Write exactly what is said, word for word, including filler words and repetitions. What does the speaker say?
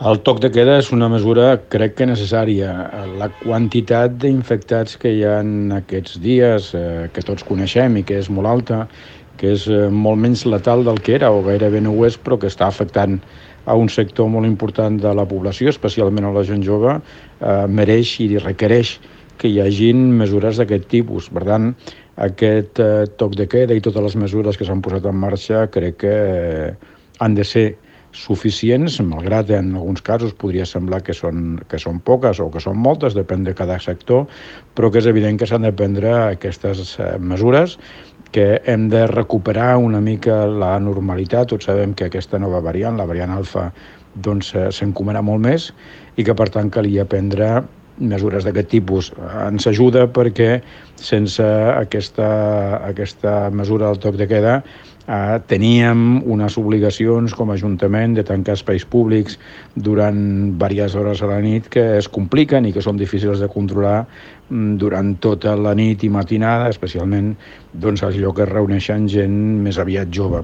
El toc de queda és una mesura, crec que necessària. La quantitat d'infectats que hi ha en aquests dies, eh, que tots coneixem i que és molt alta, que és eh, molt menys letal del que era, o gairebé no ho és, però que està afectant a un sector molt important de la població, especialment a la gent jove, eh, mereix i requereix que hi hagin mesures d'aquest tipus. Per tant, aquest eh, toc de queda i totes les mesures que s'han posat en marxa crec que eh, han de ser suficients, malgrat en alguns casos podria semblar que són, que són poques o que són moltes, depèn de cada sector, però que és evident que s'han de prendre aquestes mesures, que hem de recuperar una mica la normalitat. Tots sabem que aquesta nova variant, la variant alfa, doncs s'encomarà molt més i que per tant calia prendre mesures d'aquest tipus. Ens ajuda perquè sense aquesta, aquesta mesura del toc de queda eh, teníem unes obligacions com a Ajuntament de tancar espais públics durant diverses hores a la nit que es compliquen i que són difícils de controlar durant tota la nit i matinada, especialment doncs, als llocs que es reuneixen gent més aviat jove.